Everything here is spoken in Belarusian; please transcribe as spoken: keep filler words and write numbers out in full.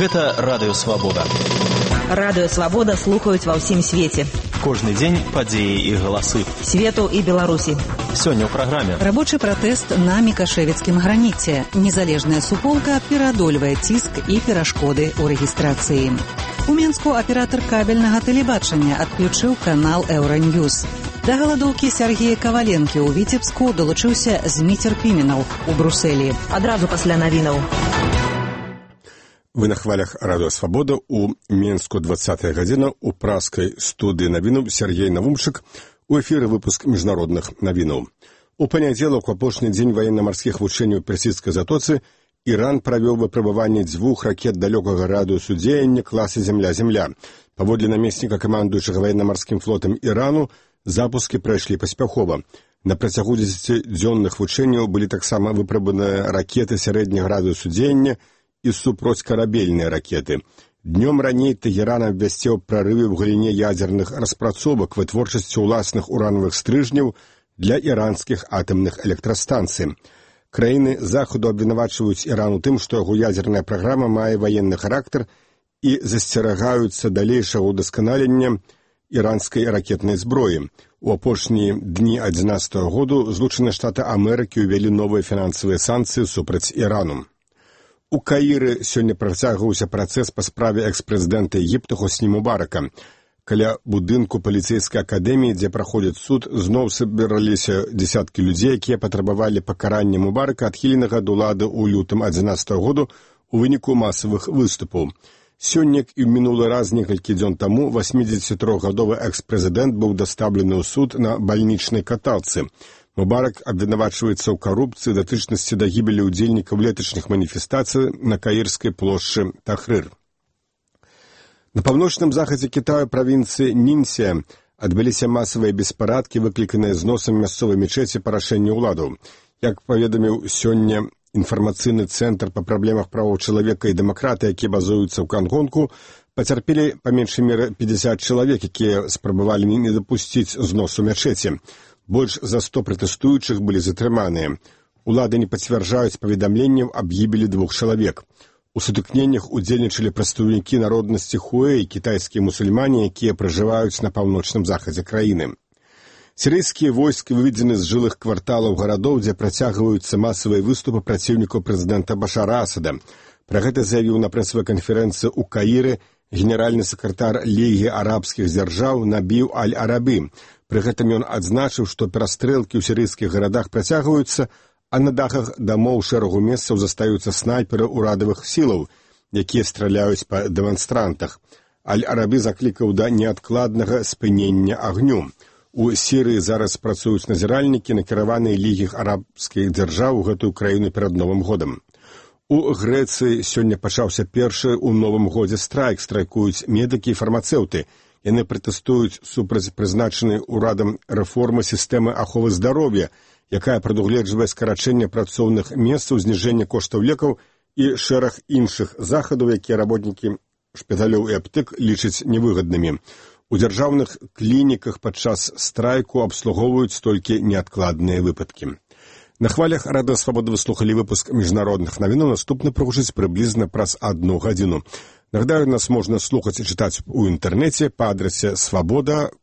Гэта Радыё Свабода. Радыё Свабода слухаюць ва ўсім свеце. Кожны дзень падзеі і галасы. Свету і Беларусі. Сёння ў праграме. Рабочы пратэст на мікашэвіцкім граніце. Незалежная суполка пераадольвае ціск і перашкоды ў рэгістрацыі. У Мінску аператар кабельнага тэлебачання адключыў канал Еўраньюз. Да галадоўкі Сергея Каваленкі ў Віцебску далучыўся Зміцер Піменаў у Брусэлі. Адразу пасля навінаў. Вы на хвалях Радыё Свабода. У Мінску двадцатая гадзіна. У праскай студыі навінаў Сергей Навумчык. У эфіры выпуск міжнародных навінаў. У панядзелак, у апошні дзень ваенна-марскіх вучэнняў у персідскай затоцы, Іран правёў выпрабаванне дзвюх ракет далёкага радыусу дзеяння класа «Земля-Земля». Паводле намесніка камандуючага ваенна-марскім флотам Ірану, запускі прайшлі паспяхова. На працягу дзесяцідзённых вучэнняў былі таксама выпрабаваныя ракеты сярэдняга радыусу дзеяння і супроцькарабельныя ракеты. Днём раней Тэгеран абвясціў прарывы ў галіне ядзерных распрацовак вытворчасці ўласных уранавых стрыжняў для іранскіх атамных электрастанцый. Краіны Захаду абвінавачваюць Іран у тым, што яго ядзерная праграма мае ваенны характар і засцерагаюцца далейшага ўдасканалення іранскай ракетнай зброі. У апошнія дні адзінаццатага году Злучаныя Штаты Амерыкі ўвялі новыя фінансавыя санкцыі супраць Ірану. У Каіры сёння працягваўся працэс па справе экс-прэзідэнта Егіпта Хосні Мубарака. Каля будынку паліцэйскай акадэміі, дзе праходзіць суд, зноў сабраліся дзесяткі людзей, якія патрабавалі пакарання Мубарака, адхіленага ад улады ў лютым адзінаццатага году у выніку масавых выступаў. Сёння і ў мінулы раз некалькі дзён таму васьмідзесятитрохгадовы экс-прэзідэнт быў дастаўлены ў суд на бальнічнай каталцы. Мубарак абвінавачваецца ў карупцыі датычнасці да гібелі ўдзельнікаў леташніх маніфестацый на каірскай плошчы Тахрыр. На паўночным захадзе Кітаю правінцыі Нінсія адбыліся масавыя беспарадкі, выкліканыя зносам мясцовай мечеці па рашэнню ўладаў. Як паведаміў сёння інфармацыйны цэнтр па праблемах правоў чалавека і дэмакраты, які базуюцца ў Гангонгу, пацярпелі па меншай меры пятьдесят чалавек, якія спрабавалі не дапусціць зносу мячэці. Больш за сто пратэстуючых былі затрыманыя. Улады не пацвярджаюць паведамленняў аб гібелі двух чалавек. У сутыкненнях удзельнічалі прадстаўнікі народнасці Хуэй, кітайскія мусульмане, якія пражываюць на паўночным захадзе краіны. Сірыйскія войскі выведзены з жылых кварталаў гарадоў, дзе працягваюцца масавыя выступы праціўнікаў прэзідэнта Башара Асада. Пра гэта заявіў на прэсавай канферэнцыі ў Каіры генеральны сакратар Лігі арабскіх дзяржаў Набіў Аль-Арабі. Пры гэтым ён адзначыў, што перастрэлкі ў сірыйскіх гарадах працягваюцца, а на дахах дамоў шэрагу месцаў застаюцца снайперы ўрадавых сілаў, якія страляюць па дэманстрантах. Аль-Арабі заклікаў да неадкладнага спынення агню. У Сірыі зараз працуюць назіральнікі, накіраваныя Лігі арабскіх дзяржаў у гэтую краіну перад Новым годам. У Грэцыі сёння пачаўся першы ў Новым годзе страйк, страйкуюць медыкі і фармацэўты. Яны пратэстуюць супраць прызначанай урадам рэформы сістэмы аховы здароўя, якая прадугледжвае скарачэнне працоўных месцаў, зніжэнне коштаў лекаў і шэраг іншых захадаў, якія работнікі шпіталёў і аптэк лічаць невыгаднымі. У дзяржаўных клініках падчас страйку абслугоўваюць толькі неадкладныя выпадкі. На хвалях Радыё Свабода вы слухалі выпуск міжнародных навінаў. Наступны прагучыць прыблізна праз адну гадзіну. Нагадаю, нас можна слухаць і чытаць у інтэрнэце па адрасе свабода.